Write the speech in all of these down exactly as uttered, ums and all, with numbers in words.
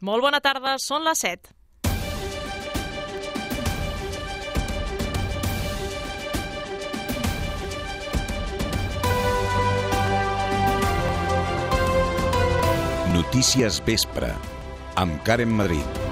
Molt bona tarda, són les set. Notícies Vespre, amb Karen Madrid.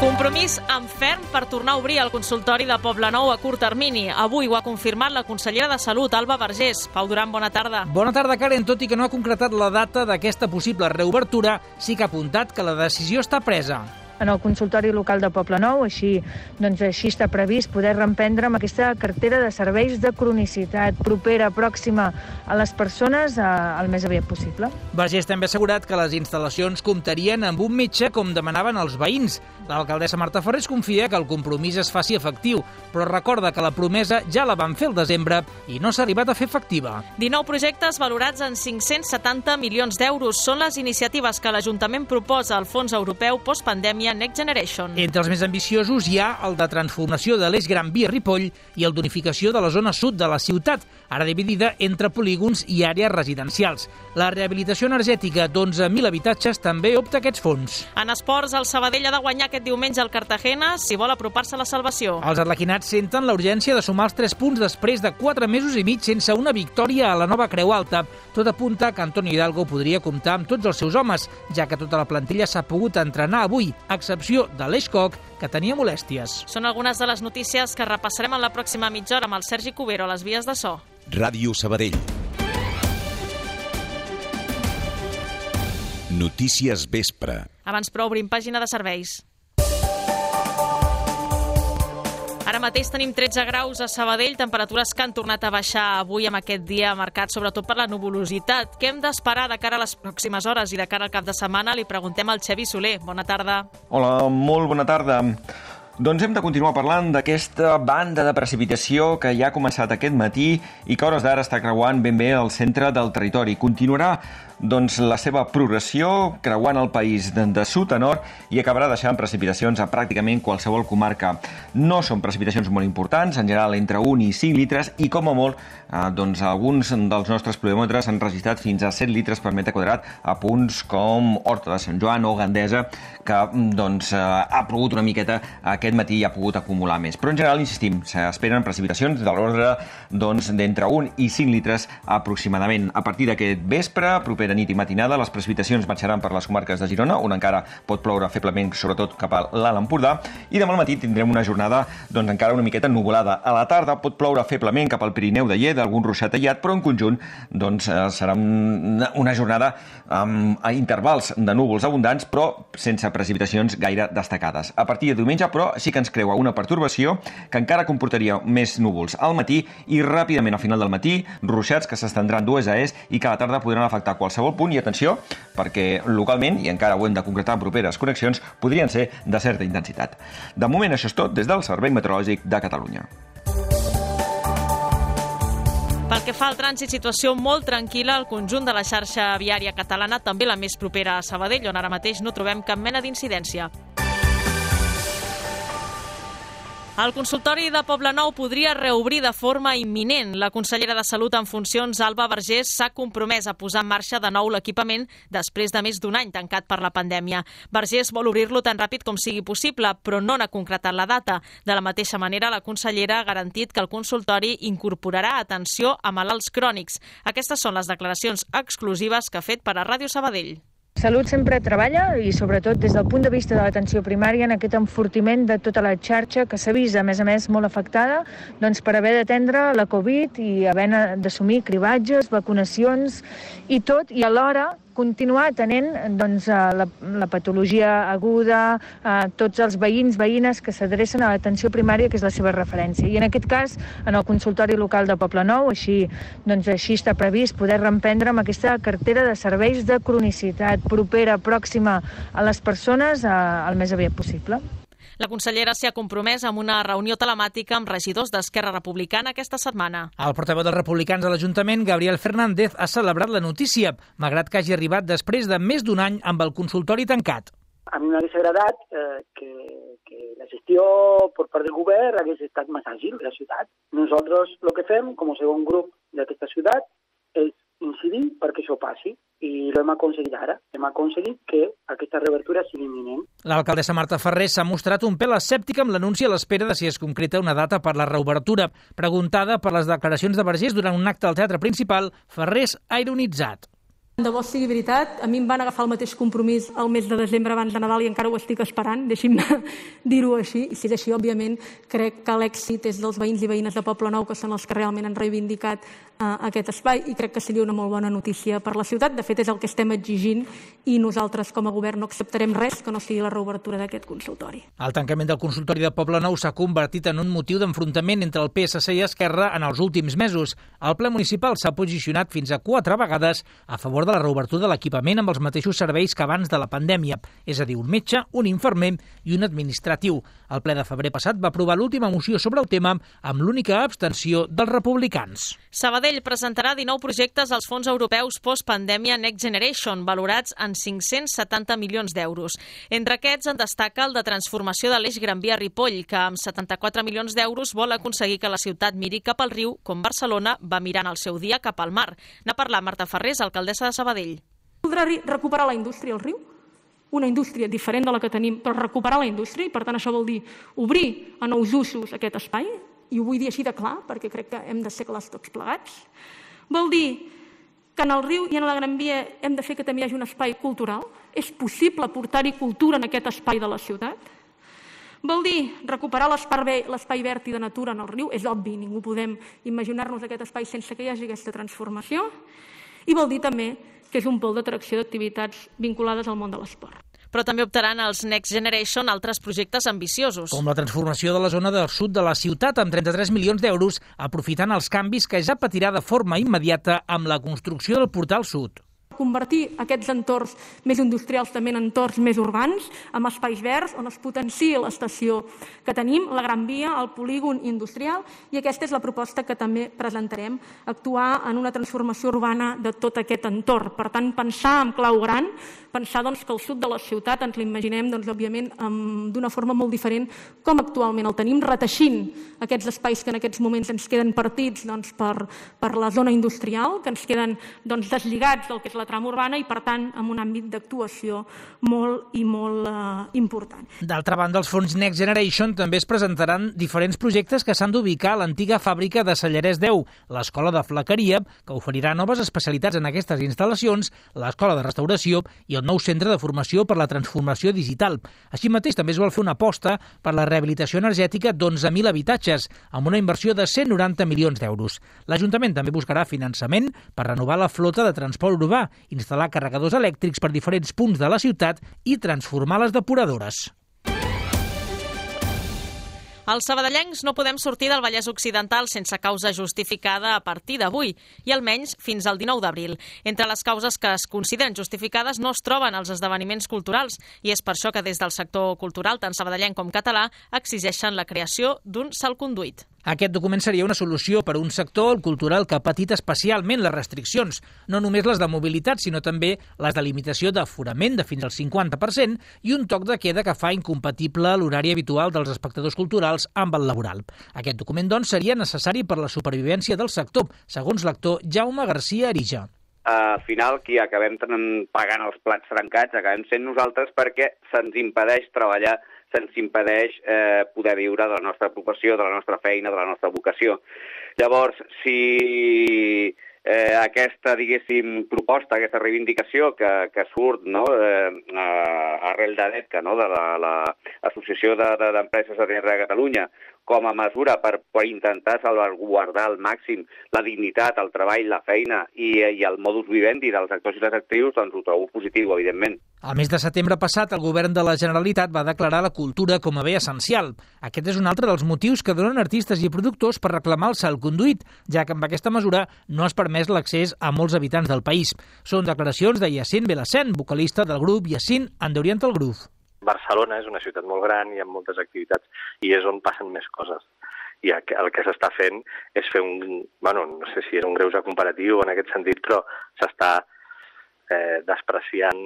Compromís en ferm per tornar a obrir el consultori de Poblenou a curt termini. Avui ho ha confirmat la consellera de Salut, Alba Vergés. Pau Duran, bona tarda. Bona tarda, Karen. Tot i que no ha concretat la data d'aquesta possible reobertura, sí que ha apuntat que la decisió està presa. En el consultori local de Poblenou, així, doncs, així està previst poder reemprendre amb aquesta cartera de serveis de cronicitat propera, pròxima a les persones eh, el més aviat possible. Vergés també ha assegurat que les instal·lacions comptarien amb un metge com demanaven els veïns. L'alcaldessa Marta Ferrés confia que el compromís es faci efectiu, però recorda que la promesa ja la van fer el desembre i no s'ha arribat a fer efectiva. dinou projectes valorats en cinc-cents setanta milions d'euros són les iniciatives que l'Ajuntament proposa al Fons Europeu Postpandèmia Next Generation. Entre els més ambiciosos hi ha el de transformació de l'eix Gran Via Ripoll i el d'unificació de la zona sud de la ciutat, ara dividida entre polígons i àrees residencials. La rehabilitació energètica d'onze mil habitatges també opta a aquests fons. En esports, el Sabadell ha de guanyar aquest diumenge al Cartagena si vol apropar-se a la salvació. Els arlequinats senten la urgència de sumar els tres punts després de quatre mesos i mig sense una victòria a la nova Creu Alta. Tot apunta que Antonio Hidalgo podria comptar amb tots els seus homes, ja que tota la plantilla s'ha pogut entrenar avui, a excepció de l'Eix Coc, que tenia molèsties. Són algunes de les notícies que repassarem en la pròxima mitja hora amb el Sergi Cubero a les vies de so. Ràdio Sabadell. Notícies Vespre. Abans però obrim pàgina de serveis. Ara mateix tenim tretze graus a Sabadell, temperatures que han tornat a baixar avui amb aquest dia marcat sobretot per la nuvolositat. Què hem d'esperar de cara a les pròximes hores i de cara al cap de setmana? Li preguntem al Xavi Soler. Bona tarda. Hola, molt bona tarda. Doncs hem de continuar parlant d'aquesta banda de precipitació que ja ha començat aquest matí i que a hores d'ara està creuant ben bé el centre del territori. Continuarà doncs, la seva progressió creuant el país de, de sud a nord i acabarà deixant precipitacions a pràcticament qualsevol comarca. No són precipitacions molt importants, en general entre un i cinc litres i com a molt eh, doncs, alguns dels nostres pluviòmetres han registrat fins a set litres per metre quadrat a punts com Horta de Sant Joan o Gandesa, que doncs, eh, ha plogut una miqueta aquest matí i ha pogut acumular més. Però en general, insistim, s'esperen precipitacions de l'ordre doncs, d'entre un i cinc litres aproximadament. A partir d'aquest vespre, propera nit i matinada, les precipitacions marxaran per les comarques de Girona, on encara pot ploure feblement, sobretot cap a l'Alt Empordà, i demà al matí tindrem una jornada doncs, encara una miqueta nuvolada. A la tarda pot ploure feblement cap al Pirineu de Lleida, algun ruixat aïllat, però en conjunt doncs, serà una jornada amb intervals de núvols abundants, però sense precipitacions gaire destacades. A partir de diumenge, però, sí que ens creua una pertorbació que encara comportaria més núvols al matí i ràpidament al final del matí, ruixats que s'estendran d'oest a est i que a la tarda podran afectar qualsevol punt, i atenció, perquè localment, i encara ho hem de concretar en properes connexions, podrien ser de certa intensitat. De moment, això és tot des del Servei Meteorològic de Catalunya. Pel que fa al trànsit, situació molt tranquil·la al conjunt de la xarxa viària catalana, també la més propera a Sabadell, on ara mateix no trobem cap mena d'incidència. El consultori de Poblenou podria reobrir de forma imminent. La consellera de Salut en funcions, Alba Vergés, s'ha compromès a posar en marxa de nou l'equipament després de més d'un any tancat per la pandèmia. Vergés vol obrir-lo tan ràpid com sigui possible, però no n'ha concretat la data. De la mateixa manera, la consellera ha garantit que el consultori incorporarà atenció a malalts crònics. Aquestes són les declaracions exclusives que ha fet per a Ràdio Sabadell. Salut sempre treballa i sobretot des del punt de vista de l'atenció primària en aquest enfortiment de tota la xarxa que s'ha vist, a més a més, molt afectada doncs, per haver d'atendre la Covid i haver d'assumir cribatges, vacunacions i tot, i alhora continuar atenent doncs, la, la patologia aguda, a tots els veïns, veïnes que s'adrecen a l'atenció primària, que és la seva referència. I en aquest cas, en el consultori local de Poblenou, així, doncs, així està previst poder reemprendre amb aquesta cartera de serveis de cronicitat propera, pròxima a les persones a, el més aviat possible. La consellera s'hi ha compromès amb una reunió telemàtica amb regidors d'Esquerra Republicana aquesta setmana. El portaveu dels republicans de l'Ajuntament, Gabriel Fernández, ha celebrat la notícia, malgrat que hagi arribat després de més d'un any amb el consultori tancat. A mi m'hauria agradat eh, que, que la gestió per part del govern hagués estat més àgil de la ciutat. Nosaltres el que fem, com a segon grup d'aquesta ciutat, és incidir perquè això passi. I l'hem aconseguit ara. Hem aconseguit que aquesta reobertura sigui imminent. L'alcaldessa Marta Ferrer s'ha mostrat un pèl escèptica amb l'anunci a l'espera de si es concreta una data per la reobertura. Preguntada per les declaracions de Vergés durant un acte al Teatre Principal, Ferrer ha ironitzat. De bo sigui veritat, a mi em van agafar el mateix compromís el mes de desembre abans de Nadal i encara ho estic esperant, deixi'm dir-ho així. I si és així, òbviament, crec que l'èxit és dels veïns i veïnes de Poblenou, que són els que realment han reivindicat eh, aquest espai, i crec que seria una molt bona notícia per la ciutat. De fet, és el que estem exigint i nosaltres, com a govern, no acceptarem res que no sigui la reobertura d'aquest consultori. El tancament del consultori de Poblenou s'ha convertit en un motiu d'enfrontament entre el P S C i Esquerra en els últims mesos. El ple municipal s'ha posicionat fins a quatre vegades a favor de la reobertura de l'equipament amb els mateixos serveis que abans de la pandèmia, és a dir, un metge, un infermer i un administratiu. El ple de febrer passat va aprovar l'última moció sobre el tema amb l'única abstenció dels republicans. Sabadell presentarà dinou projectes als fons europeus post-pandèmia Next Generation, valorats en cinc-cents setanta milions d'euros. Entre aquests en destaca el de transformació de l'eix Gran Via Ripoll, que amb setanta-quatre milions d'euros vol aconseguir que la ciutat miri cap al riu, com Barcelona va mirant el seu dia cap al mar. N'ha parlat Marta Ferrés, alcaldessa de Sabadell. Voldrà recuperar la indústria al riu? Una indústria diferent de la que tenim, però recuperar la indústria, i per tant això vol dir obrir a nous usos aquest espai, i ho vull dir així de clar, perquè crec que hem de ser clars tots plegats. Vol dir que en el riu i en la Gran Via hem de fer que també hi hagi un espai cultural. És possible portar-hi cultura en aquest espai de la ciutat. Vol dir recuperar l'espai verd i de natura en el riu. És obvi, ningú podem imaginar-nos aquest espai sense que hi hagi aquesta transformació. I vol dir també que és un pol d'atracció d'activitats vinculades al món de l'esport. Però també optaran els Next Generation altres projectes ambiciosos. Com la transformació de la zona del sud de la ciutat amb trenta-tres milions d'euros, aprofitant els canvis que ja patirà de forma immediata amb la construcció del portal sud. Convertir aquests entorns més industrials també en entorns més urbans, amb espais verds, on es potenciï l'estació que tenim, la Gran Via, el polígon industrial, i aquesta és la proposta que també presentarem, actuar en una transformació urbana de tot aquest entorn. Per tant, pensar en clau gran, pensar doncs, que el sud de la ciutat ens l'imaginem doncs, òbviament d'una forma molt diferent com actualment el tenim, reteixint aquests espais que en aquests moments ens queden partits doncs, per, per la zona industrial, que ens queden doncs, deslligats del que és la trama urbana i, per tant, amb un àmbit d'actuació molt i molt eh, important. D'altra banda, els fons Next Generation també es presentaran diferents projectes que s'han d'ubicar a l'antiga fàbrica de Sallarès deu, l'escola de flequeria, que oferirà noves especialitats en aquestes instal·lacions, l'escola de restauració i el nou centre de formació per la transformació digital. Així mateix, també es vol fer una aposta per la rehabilitació energètica d'onze mil habitatges, amb una inversió de cent noranta milions d'euros. L'Ajuntament també buscarà finançament per renovar la flota de transport urbà, instal·lar carregadors elèctrics per diferents punts de la ciutat i transformar les depuradores. Els sabadellencs no podem sortir del Vallès Occidental sense causa justificada a partir d'avui i almenys fins al dinou d'abril. Entre les causes que es consideren justificades no es troben els esdeveniments culturals i és per això que des del sector cultural, tant sabadellenc com català, exigeixen la creació d'un salconduit. Aquest document seria una solució per a un sector, el cultural, que ha patit especialment les restriccions, no només les de mobilitat, sinó també les de limitació d'aforament de fins al cinquanta per cent i un toc de queda que fa incompatible l'horari habitual dels espectadors culturals amb el laboral. Aquest document, doncs, seria necessari per la supervivència del sector, segons l'actor Jaume Garcia Arija. Al final, qui acabem pagant els plats trencats acabem sent nosaltres perquè se'ns impedeix treballar, se'ns impedeix eh, poder viure de la nostra professió, de la nostra feina, de la nostra vocació. Llavors, si eh, aquesta, diguéssim, proposta, aquesta reivindicació que, que surt no, eh, arrel d'ADETCA, no, de l'Associació la, de, de, d'Empreses de Terra de Catalunya, com a mesura per, per intentar salvaguardar al màxim la dignitat, el treball, la feina i, i el modus vivendi dels actors i les actrius, doncs ho trobo positiu, evidentment. Al mes de setembre passat, el govern de la Generalitat va declarar la cultura com a bé essencial. Aquest és un altre dels motius que donen artistes i productors per reclamar el salconduit, ja que amb aquesta mesura no es permès l'accés a molts habitants del país. Són declaracions de Yacine Belacén, vocalista del grup Yacine and the Oriental Groove. Barcelona és una ciutat molt gran i amb moltes activitats i és on passen més coses. I el que s'està fent és fer un... Bueno, no sé si és un greuge comparatiu en aquest sentit, però s'està eh, despreciant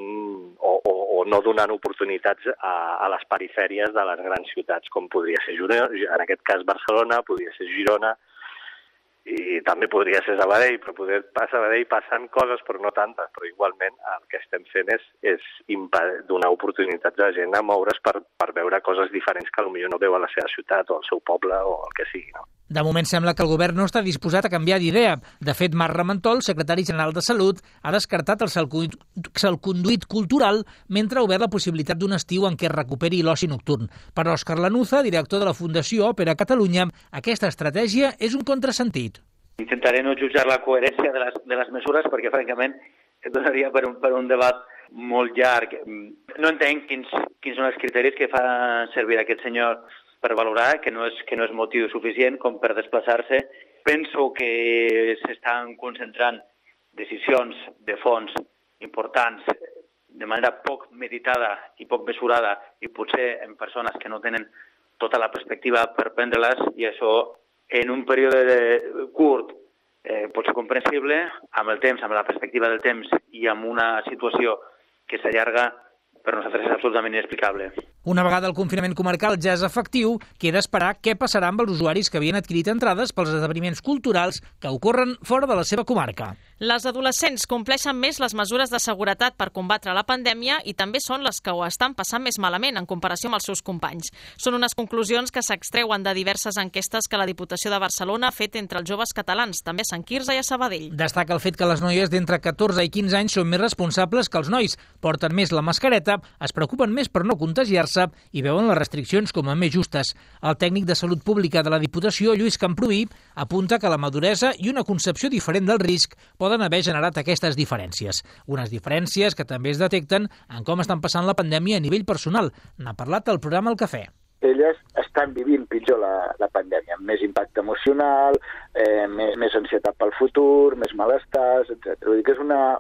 o, o, o no donant oportunitats a, a les perifèries de les grans ciutats, com podria ser Girona, en aquest cas Barcelona, podria ser Girona, i també podria ser Sabadell, però poder a Sabadell passen coses, però no tantes, però igualment el que estem fent és, és donar oportunitats a la gent a moure's per, per veure coses diferents que potser no veu a la seva ciutat o al seu poble o el que sigui, no? De moment sembla que el govern no està disposat a canviar d'idea. De fet, Marc Ramentol, secretari general de Salut, ha descartat el salconduit cultural mentre ha obert la possibilitat d'un estiu en què es recuperi l'oci nocturn. Per Òscar Lanuza, director de la Fundació Òpera Catalunya, aquesta estratègia és un contrasentit. Intentaré no jutjar la coherència de les, de les mesures perquè, francament, donaria per un, per un debat molt llarg. No entenc quins, quins són els criteris que fa servir aquest senyor per valorar, que no és, que no és motiu suficient com per desplaçar-se. Penso que s'estan concentrant decisions de fons importants de manera poc meditada i poc mesurada i potser en persones que no tenen tota la perspectiva per prendre-les, i això en un període curt eh, pot ser comprensible, amb el temps, amb la perspectiva del temps i amb una situació que s'allarga, per nosaltres és absolutament inexplicable. Una vegada el confinament comarcal ja és efectiu, queda esperar què passarà amb els usuaris que havien adquirit entrades pels esdeveniments culturals que ocorren fora de la seva comarca. Les adolescents compleixen més les mesures de seguretat per combatre la pandèmia i també són les que ho estan passant més malament en comparació amb els seus companys. Són unes conclusions que s'extreuen de diverses enquestes que la Diputació de Barcelona ha fet entre els joves catalans, també a Sant Quirze i a Sabadell. Destaca el fet que les noies d'entre catorze i quinze anys són més responsables que els nois, porten més la mascareta, es preocupen més per no contagiar-se i veuen les restriccions com a més justes. El tècnic de Salut Pública de la Diputació, Lluís Camproví, apunta que la maduresa i una concepció diferent del risc poden haver generat aquestes diferències. Unes diferències que també es detecten en com estan passant la pandèmia a nivell personal. N'ha parlat al programa El Cafè. Elles estan vivint pitjor la, la pandèmia, amb més impacte emocional, eh, més, més ansietat pel futur, més malestars, etcètera. Vull dir que és una,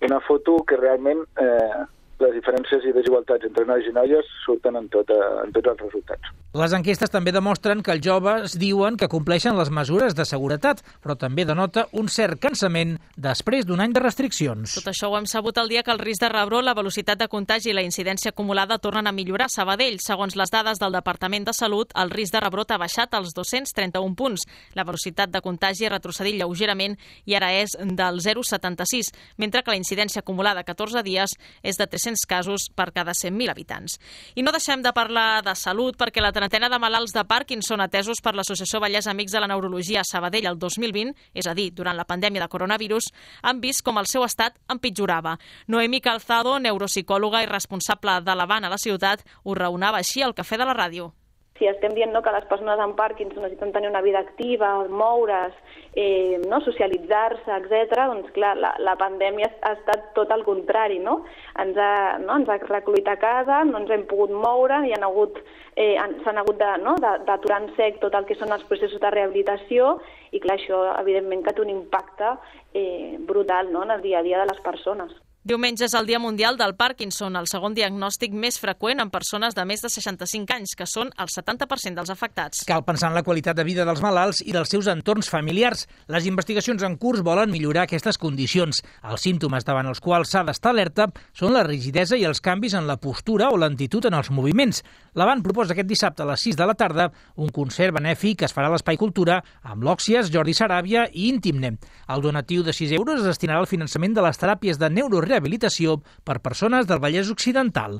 una foto que realment eh, les diferències i desigualtats entre nois i noies surten en, tot, en tots els resultats. Les enquestes també demostren que els joves diuen que compleixen les mesures de seguretat, però també denota un cert cansament després d'un any de restriccions. Tot això ho hem sabut el dia que el risc de rebrot, la velocitat de contagi i la incidència acumulada tornen a millorar a Sabadell. Segons les dades del Departament de Salut, el risc de rebrot ha baixat als dos-cents trenta-un punts. La velocitat de contagi ha retrocedit lleugerament i ara és del zero coma setanta-sis, mentre que la incidència acumulada a catorze dies és de tres-cents casos per cada cent mil habitants. I no deixem de parlar de salut perquè la trentena de malalts de Parkinson atesos per l'Associació Vallès Amics de la Neurologia a Sabadell el dos mil vint, és a dir, durant la pandèmia de coronavirus, han vist com el seu estat empitjorava. Noemi Calzado, neuropsicòloga i responsable de l'Avant a la ciutat, ho raonava així al Cafè de la Ràdio. Si estem dient no, que les persones amb Parkinson necessiten tenir una vida activa, moure's, eh, no, socialitzar-se, etcètera, doncs clar, la, la pandèmia ha estat tot el contrari, no? Ens ha, no, ens ha recluït a casa, no ens hem pogut moure, i han hagut, eh, s'han hagut de, no, d'aturar en sec tot el que són els processos de rehabilitació, i clar, això evidentment que té un impacte eh, brutal, no, en el dia a dia de les persones. Diumenge és el Dia Mundial del Parkinson, el segon diagnòstic més freqüent en persones de més de seixanta-cinc anys, que són el setanta per cent dels afectats. Cal pensar en la qualitat de vida dels malalts i dels seus entorns familiars. Les investigacions en curs volen millorar aquestes condicions. Els símptomes davant els quals s'ha d'estar alerta són la rigidesa i els canvis en la postura o lentitud en els moviments. L'Avant proposa aquest dissabte a les sis de la tarda un concert benèfic que es farà a l'Espai Cultura amb l'Òxies, Jordi Saràbia i Íntimne. El donatiu de sis euros es destinarà al finançament de les teràpies de neurorehabilitació per persones del Vallès Occidental.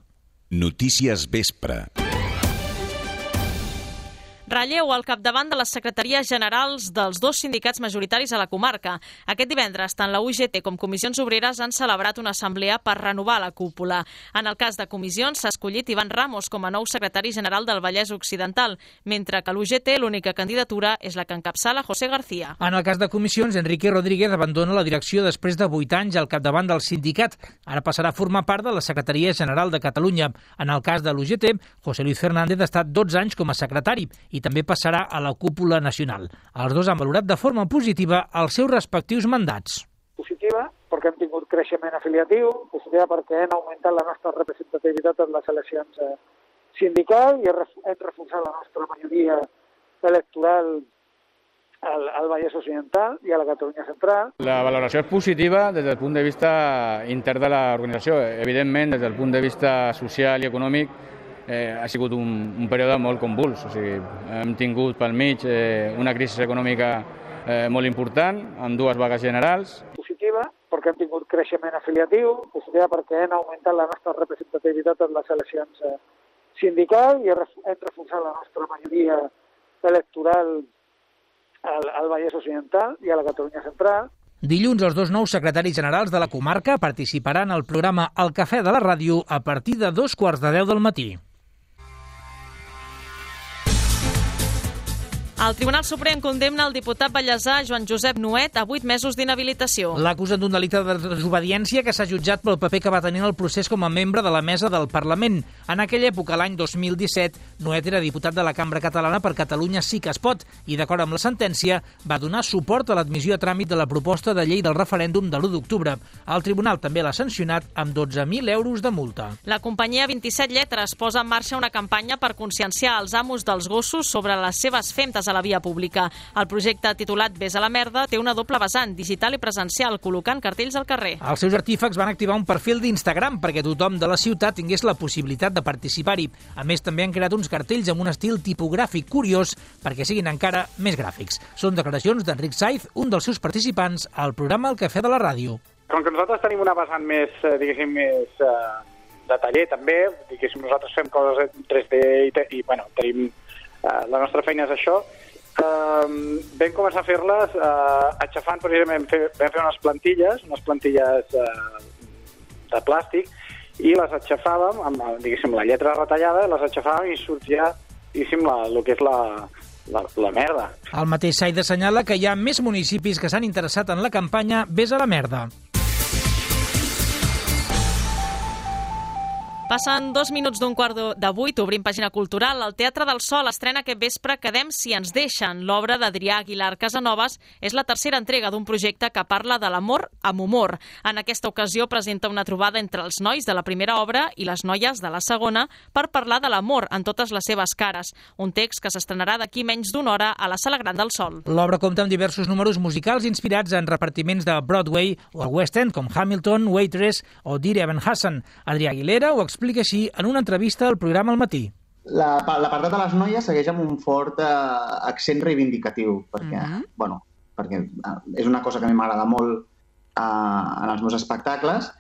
Notícies Vespre. Relleu al capdavant de les secretaries generals dels dos sindicats majoritaris a la comarca. Aquest divendres, tant la U G T com Comissions Obreres han celebrat una assemblea per renovar la cúpula. En el cas de Comissions, s'ha escollit Ivan Ramos com a nou secretari general del Vallès Occidental, mentre que a l'U G T l'única candidatura és la que encapçala José García. En el cas de Comissions, Enrique Rodríguez abandona la direcció després de vuit anys al capdavant del sindicat. Ara passarà a formar part de la Secretaria General de Catalunya. En el cas de l'U G T, José Luis Fernández ha estat dotze anys com a secretari i també passarà a la cúpula nacional. Els dos han valorat de forma positiva els seus respectius mandats. Positiva perquè hem tingut creixement afiliatiu, positiva perquè hem augmentat la nostra representativitat en les eleccions sindicals i hem reforçat la nostra majoria electoral al, al Vallès Occidental i a la Catalunya Central. La valoració és positiva des del punt de vista intern de l'organització. Evidentment, des del punt de vista social i econòmic, Eh, ha sigut un, un període molt convuls. O sigui, hem tingut pel mig eh, una crisi econòmica eh, molt important, amb dues vagues generals. Positiva, perquè hem tingut creixement afiliatiu, positiva perquè hem augmentat la nostra representativitat en les eleccions eh, sindicals i hem reforçat la nostra majoria electoral al, al Vallès Occidental i a la Catalunya Central. Dilluns, els dos nous secretaris generals de la comarca participaran al programa El Cafè de la Ràdio a partir de dos quarts de deu del matí. El Tribunal Suprem condemna el diputat ballesà Joan Josep Nuet a vuit mesos d'inhabilitació. L'acusen d'un delicte de desobediència que s'ha jutjat pel paper que va tenir en el procés com a membre de la mesa del Parlament. En aquella època, l'any dos mil disset, Nuet era diputat de la Cambra Catalana per Catalunya Sí que es pot i, d'acord amb la sentència, va donar suport a l'admissió a tràmit de la proposta de llei del referèndum de l'u d'octubre. El tribunal també l'ha sancionat amb dotze mil euros de multa. La companyia vint-i-set Lletres posa en marxa una campanya per conscienciar els amos dels gossos sobre les seves femtes a la via pública. El projecte titulat Ves a la merda té una doble vessant, digital i presencial, col·locant cartells al carrer. Els seus artífecs van activar un perfil d'Instagram perquè tothom de la ciutat tingués la possibilitat de participar-hi. A més, també han creat uns cartells amb un estil tipogràfic curiós perquè siguin encara més gràfics. Són declaracions d'Enric Saiz, un dels seus participants al programa El Cafè de la Ràdio. Com que nosaltres tenim una vessant més, diguéssim, més eh, de taller també, diguéssim, nosaltres fem coses en tres D i, i bueno, tenim, eh, la nostra feina és això. Uh, vam començar a fer-les uh, aixafant, precisament, fer, vam fer unes plantilles, unes plantilles uh, de plàstic, i les aixafàvem amb, diguéssim, la lletra retallada, les aixafàvem i sortia, diguéssim, la, el que és la, la, la merda. El mateix Said assenyala que hi ha més municipis que s'han interessat en la campanya Ves a la merda. Passen dos minuts d'un quart de vuit, obrim pàgina cultural. El Teatre del Sol estrena aquest vespre Quedem si ens deixen. L'obra d'Adrià Aguilar Casanovas és la tercera entrega d'un projecte que parla de l'amor amb humor. En aquesta ocasió presenta una trobada entre els nois de la primera obra i les noies de la segona per parlar de l'amor en totes les seves cares. Un text que s'estrenarà d'aquí menys d'una hora a la Sala Gran del Sol. L'obra compta amb diversos números musicals inspirats en repartiments de Broadway o el West End, com Hamilton, Waitress o Dear Evan Hansen. Adrià Aguilera ho explica així en una entrevista al programa al matí. L'apartat de les noies segueix amb un fort eh, accent reivindicatiu, perquè, uh-huh. bueno, perquè és una cosa que a mi m'agrada molt eh, en els meus espectacles,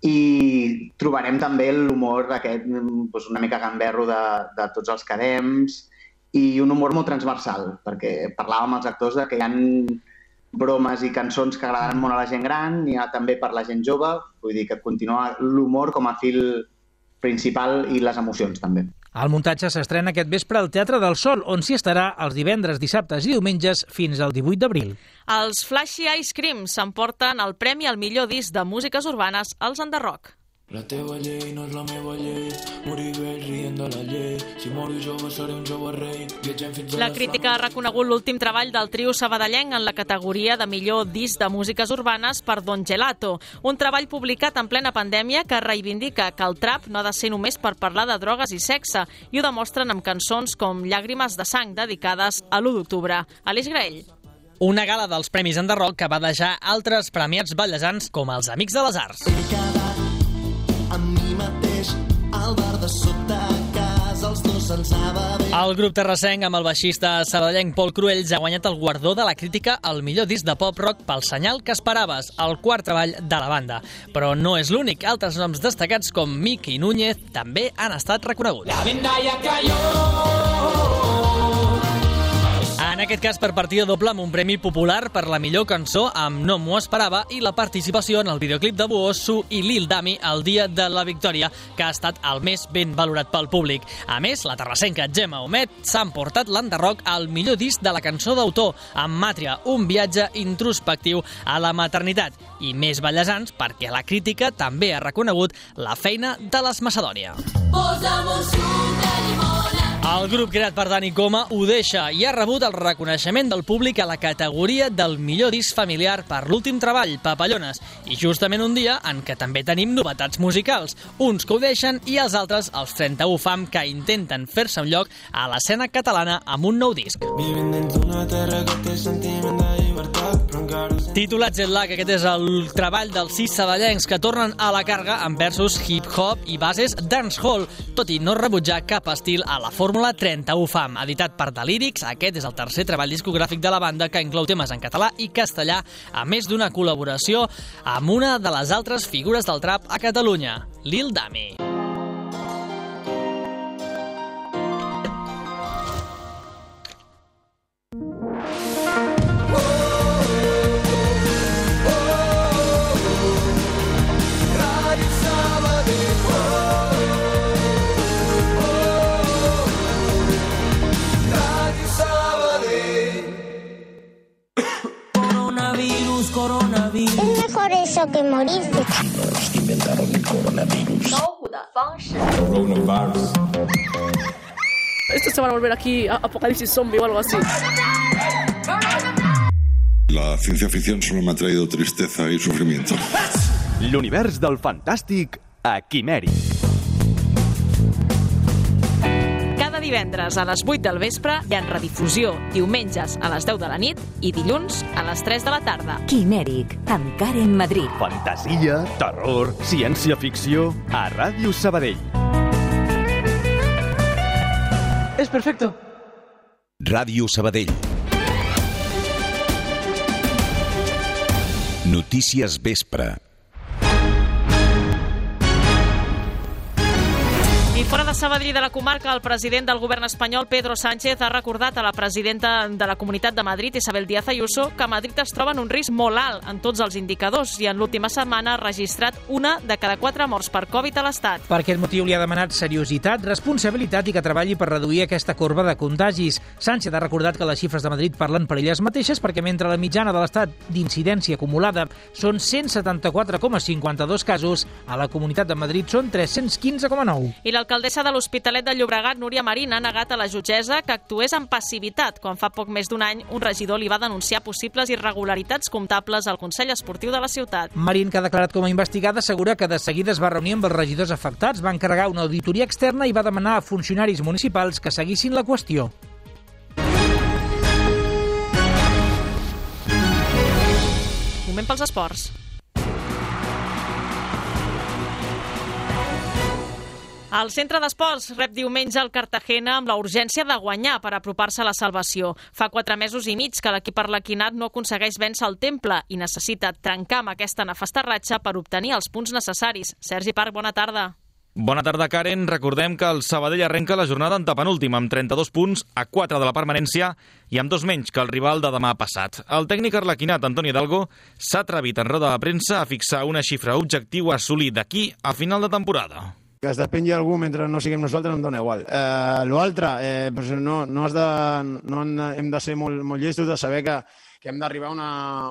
i trobarem també l'humor aquest, doncs una mica gamberro de, de tots els cadems, i un humor molt transversal, perquè parlàvem amb els actors de que hi ha bromes i cançons que agraden molt a la gent gran, i també per la gent jove, vull dir que continua l'humor com a fil principal i les emocions també. El muntatge s'estrena aquest vespre al Teatre del Sol, on s'hi estarà els divendres, dissabtes i diumenges fins al divuit d'abril. Els Flashy Ice Cream s'emporten el premi al millor disc de músiques urbanes als Enderrock. La teva llei no és la meva llei, morir vell rient de la llei, si moro jove seré un jove rei, viatgem fins a la crítica ha reconegut l'últim treball del trio sabadellenc en la categoria de millor disc de músiques urbanes per Don Gelato, un treball publicat en plena pandèmia que reivindica que el trap no ha de ser només per parlar de drogues i sexe, i ho demostren amb cançons com Llàgrimes de sang, dedicades a l'u d'octubre. Aleix Graell. Una gala dels Premis Enderrock que va deixar altres premiats ballesans com els Amics de les Arts. Amb mi mateix, al bar de sota casa, els dos ens anava bé. El grup terrassenc amb el baixista sabadellenc Pol Cruells ha guanyat el guardó de la crítica al millor disc de pop-rock pel Senyal que esperaves, el quart treball de la banda. Però no és l'únic, altres noms destacats com Miki Núñez també han estat reconeguts. La venda ja cayó. En aquest cas per partida doble amb un premi popular per la millor cançó amb No m'ho esperava i la participació en el videoclip de Buoso i Lil Dami el dia de la victòria, que ha estat el més ben valorat pel públic. A més, la terrassenca Gemma Homet s'ha emportat l'Enderrock al millor disc de la cançó d'autor, amb Màtria, un viatge introspectiu a la maternitat. I més ballesans perquè la crítica també ha reconegut la feina de les Macedònia. Posa'm un suc de llimona. El grup creat per Dani Coma ho deixa i ha rebut el reconeixement del públic a la categoria del millor disc familiar per l'últim treball, Papallones, i justament un dia en què també tenim novetats musicals, uns que ho deixen i els altres, els trenta-u fam, que intenten fer-se un lloc a l'escena catalana amb un nou disc. Vivim dins d'una terra que té sentiment de llibertat, però encara Titulat Jet Lag, aquest és el treball dels sis saballencs que tornen a la càrrega amb versos hip-hop i bases dancehall, tot i no rebutjar cap estil a la Fórmula trenta-u Fam. Editat per The Lyrics, aquest és el tercer treball discogràfic de la banda que inclou temes en català i castellà, a més d'una col·laboració amb una de les altres figures del trap a Catalunya, Lil Dami. Coronavirus. Es mejor eso que morirse. Los que inventaron el coronavirus. Coronavirus. Esto se va a volver aquí apocalipsis zombie o algo así. La ciencia ficción solo me ha traído tristeza y sufrimiento. L'univers del fantàstic a Quimèric. Divendres a les vuit del vespre i en redifusió diumenges a les deu de la nit i dilluns a les tres de la tarda. Quimèric, amb Karen Madrid. Fantasia, terror, ciència-ficció a Ràdio Sabadell. És perfecto. Ràdio Sabadell. Notícies vespre. I fora de Sabadell i de la comarca, el president del govern espanyol, Pedro Sánchez, ha recordat a la presidenta de la Comunitat de Madrid, Isabel Díaz Ayuso, que Madrid es troba en un risc molt alt en tots els indicadors i en l'última setmana ha registrat una de cada quatre morts per Covid a l'Estat. Per aquest motiu li ha demanat seriositat, responsabilitat i que treballi per reduir aquesta corba de contagis. Sánchez ha recordat que les xifres de Madrid parlen per elles mateixes perquè mentre la mitjana de l'Estat d'incidència acumulada són cent setanta-quatre coma cinquanta-dos casos, a la Comunitat de Madrid són tres-cents quinze coma nou. I l'alcaldessa de l'Hospitalet de Llobregat, Núria Marín, ha negat a la jutgessa que actués amb passivitat quan fa poc més d'un any un regidor li va denunciar possibles irregularitats comptables al Consell Esportiu de la ciutat. Marín, que ha declarat com a investigada, assegura que de seguida es va reunir amb els regidors afectats, va encarregar una auditoria externa i va demanar a funcionaris municipals que seguissin la qüestió. Moment pels esports. El centre d'esports rep diumenge el Cartagena amb la urgència de guanyar per apropar-se a la salvació. Fa quatre mesos i mig que l'equip arlequinat no aconsegueix vèncer el Temple i necessita trencar amb aquesta nefasta ratxa per obtenir els punts necessaris. Sergi Parc, bona tarda. Bona tarda, Karen. Recordem que el Sabadell arrenca la jornada en tapenúltim amb trenta-dos punts a quatre de la permanència i amb dos menys que el rival de demà passat. El tècnic arlequinat, Antoni Hidalgo, s'ha atrevit en roda de premsa a fixar una xifra objectiu a assolir d'aquí a final de temporada. Que es despengui algú mentre no siguem nosaltres em dona igual. Eh, L'altre, eh, pues no, no, has de, no hem de ser molt, molt llestos de saber que, que hem d'arribar a una,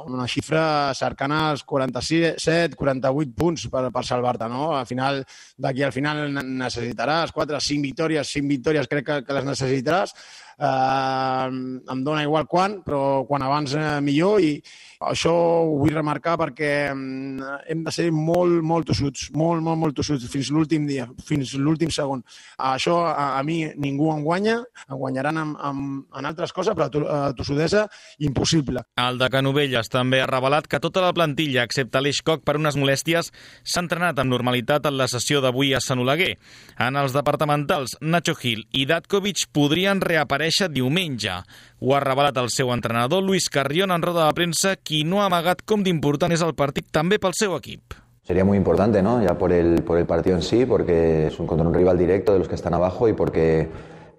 una xifra cercana als quaranta-set quaranta-vuit punts per, per salvar-te, no? Al final, d'aquí al final necessitaràs quatre, cinc victòries, cinc victòries crec que, que les necessitaràs. Eh, em dona igual quan, però quan abans eh, millor, i això ho vull remarcar perquè hem de ser molt, molt tossuts, molt, molt, molt tossuts, fins l'últim dia, fins l'últim segon. Això a, a mi ningú em guanya, em guanyaran en, en, en altres coses, però a tossudesa impossible. El de Canovelles també ha revelat que tota la plantilla, excepte Aleix Koch per unes molèsties, s'ha entrenat amb normalitat en la sessió d'avui a Sant Oleguer. En els departamentals, Nacho Gil i Datkovic podrien reaparèixer diumenge. Ho ha revelat el seu entrenador, Luis Carrión, en roda de premsa, qui no ha amagat com d'important és el partit també pel seu equip. Sería muy importante, ¿no? Ya por el, por el partido en sí, porque es un, contra un rival directo de los que están abajo y porque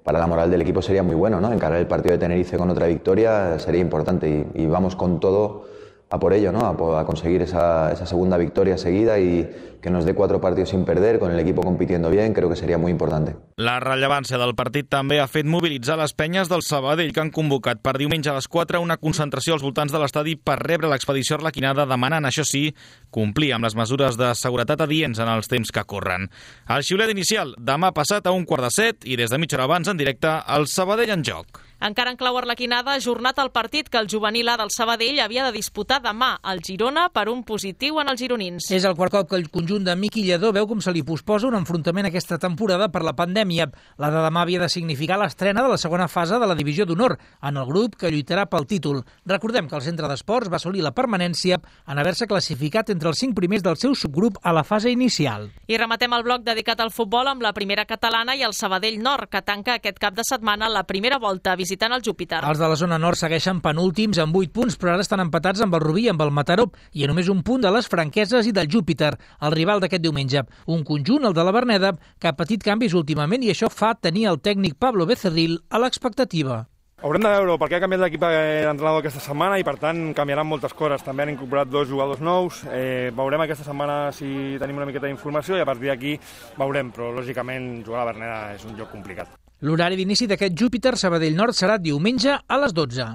para la moral del equipo sería muy bueno, ¿no? Encarar el partido de Tenerife con otra victoria sería importante y, y vamos con todo a por ello, ¿no? A, a conseguir esa, esa segunda victoria seguida y que nos dé cuatro partidos sin perder, con el equipo compitiendo bien, creo que sería muy importante. La rellevància del partit també ha fet mobilitzar les penyes del Sabadell, que han convocat per diumenge a les quatre una concentració als voltants de l'estadi per rebre l'expedició arlequinada, demanant, això sí, complir amb les mesures de seguretat adients en els temps que corren. El xiulet inicial demà passat a un quart de set i des de mitja hora abans en directe el Sabadell en joc. Encara en clau arlequinada, ajornat el partit que el juvenil A del Sabadell havia de disputar demà al Girona per un positiu en els gironins. És el quart cop que el conjunt de Miqui Lledó veu com se li posposa un enfrontament aquesta temporada per la pandèmia. La de demà havia de significar l'estrena de la segona fase de la divisió d'honor en el grup que lluitarà pel títol. Recordem que el Centre d'Esports va assolir la permanència en haver-se classificat entre els cinc primers del seu subgrup a la fase inicial. I rematem el bloc dedicat al futbol amb la primera catalana i el Sabadell Nord, que tanca aquest cap de setmana la primera volta visitant el Júpiter. Els de la zona nord segueixen penúltims amb vuit punts, però ara estan empatats amb el Rubí i amb el Mataró i a només un punt de les Franqueses i del Júpiter, el rival d'aquest diumenge. Un conjunt, el de la Verneda, que ha patit canvis últimament i això fa tenir el tècnic Pablo Becerril a l'expectativa. Haurem de veure perquè ha canviat l'equip d'entrenador aquesta setmana i per tant canviaran moltes coses. També han incorporat dos jugadors nous. Eh, veurem aquesta setmana si tenim una miqueta d'informació i a partir d'aquí veurem, però lògicament jugar a la Verneda és un joc complicat. L'horari d'inici d'aquest Júpiter Sabadell Nord serà diumenge a les dotze.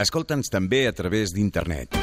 Escolta'ns també a través d'internet.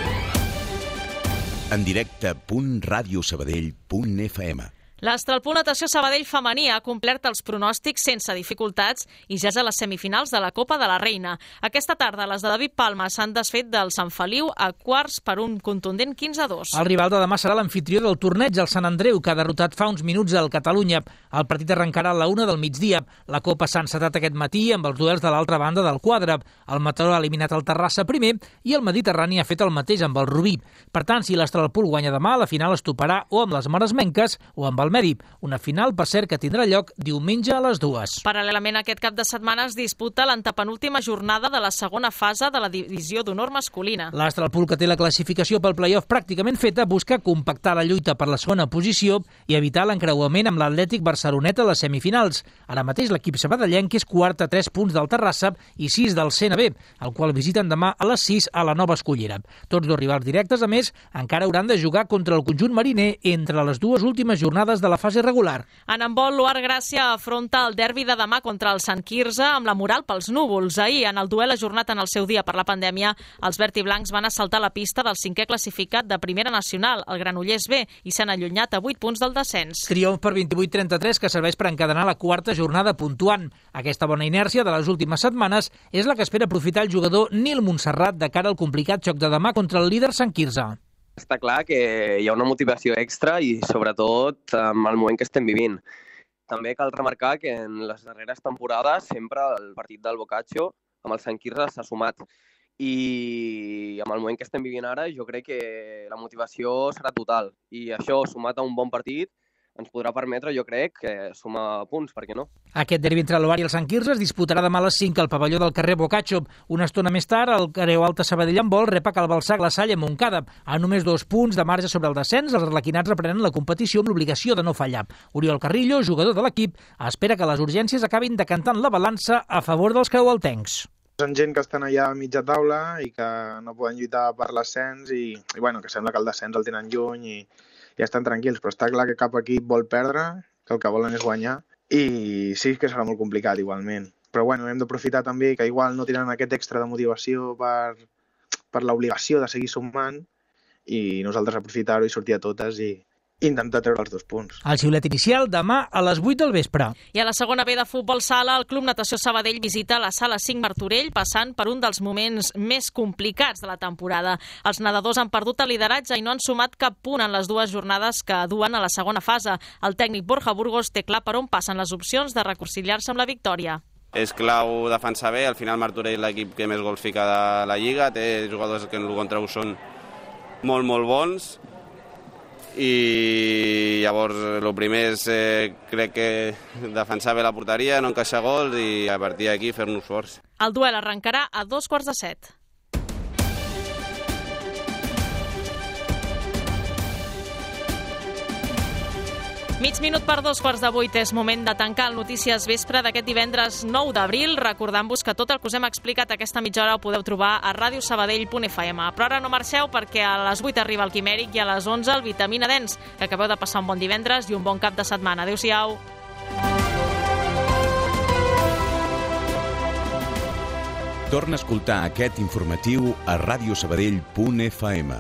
En directe punt radiosabadell punt f m. L'Astralpool Natació Sabadell femení ha complert els pronòstics sense dificultats i ja és a les semifinals de la Copa de la Reina. Aquesta tarda les de David Palma s'han desfet del Sant Feliu a quarts per un contundent quinze a dos. El rival de demà serà l'anfitrió del torneig, el Sant Andreu, que ha derrotat fa uns minuts al Catalunya. El partit arrencarà a la una del migdia. La Copa s'ha encetat aquest matí amb els duels de l'altra banda del quadre. El Mataró ha eliminat el Terrassa primer i el Mediterrani ha fet el mateix amb el Rubí. Per tant, si l'Astralpool guanya demà, la final es toparà o amb les Maresmenques o amb el Mèrit. Una final, per cert, que tindrà lloc diumenge a les dues. Paral·lelament, aquest cap de setmana es disputa l'antepenúltima jornada de la segona fase de la divisió d'honor masculina. L'Astralpool, que té la classificació pel play-off pràcticament feta, busca compactar la lluita per la segona posició i evitar l'encreuament amb l'Atlètic Barcelonet a les semifinals. Ara mateix l'equip sabadellenc és quart a tres punts del Terrassa i sis del C N B, el qual visiten demà a les sis a la Nova Escullera. Tots dos rivals directes, a més, encara hauran de jugar contra el conjunt mariner entre les dues últimes jornades de la fase regular. En handbol, l'U A R Gràcia afronta el derbi de demà contra el Sant Quirze amb la moral pels núvols. Ahir, en el duel ajornat en el seu dia per la pandèmia, els verd i blancs van assaltar la pista del cinquè classificat de Primera Nacional, el Granollers B, i s'han allunyat a vuit punts del descens. Triomf per vint-i-vuit a trenta-tres que serveix per encadenar la quarta jornada puntuant. Aquesta bona inèrcia de les últimes setmanes és la que espera aprofitar el jugador Nil Montserrat de cara al complicat joc de demà contra el líder Sant Quirze. Està clar que hi ha una motivació extra i, sobretot, amb el moment que estem vivint. També cal remarcar que en les darreres temporades sempre el partit del Boccaccio amb el Sant Quirze s'ha sumat. I amb el moment que estem vivint ara jo crec que la motivació serà total. I això, sumat a un bon partit, ens podrà permetre, jo crec, sumar punts, per què no? Aquest derbi entre l'Ovar i el Sant Quirze es disputarà demà a les cinc al pavelló del carrer Boccaccio. Una estona més tard, el Creu Alta Sabadell en vol rep a Cal Balsac la Salle Montcada. A només dos punts de marge sobre el descens, els arlequinats reprenen la competició amb l'obligació de no fallar. Oriol Carrillo, jugador de l'equip, espera que les urgències acabin decantant la balança a favor dels creualtencs. Són gent que estan allà a mitja taula i que no poden lluitar per l'ascens i, i bueno, que sembla que el descens el tenen lluny i ja estan tranquils, però està clar que cap equip vol perdre, que el que volen és guanyar, i sí que serà molt complicat igualment. Però bueno, hem d'aprofitar també que igual no tenen aquest extra de motivació per, per l'obligació de seguir sumant, i nosaltres aprofitar-ho i sortir a totes i intentar treure els dos punts. El xiulet inicial demà a les vuit del vespre. I a la segona B de futbol sala, el Club Natació Sabadell visita la sala cinc Martorell, passant per un dels moments més complicats de la temporada. Els nedadors han perdut el lideratge i no han sumat cap punt en les dues jornades que duen a la segona fase. El tècnic Borja Burgos té clar per on passen les opcions de reconciliar-se amb la victòria. És clau defensar bé, al final Martorell és l'equip que més gols fica de la Lliga, té jugadors que en el contra són molt, molt bons, i llavors el primer és eh, crec que defensar bé la porteria, no encaixar gols i a partir d'aquí fer-nos forts. El duel arrencarà a dos quarts de set. Mig minut per dos quarts de vuit és moment de tancar el Notícies Vespre d'aquest divendres nou d'abril, recordant-vos que tot el que us hem explicat aquesta mitja hora ho podeu trobar a radiosabadell punt f m. Però ara no marxeu perquè a les vuit arriba el Quimèric i a les onze el Vitamina Dens. Que acabeu de passar un bon divendres i un bon cap de setmana. Adéu-siau. Torna a escoltar aquest informatiu a radiosabadell punt f m.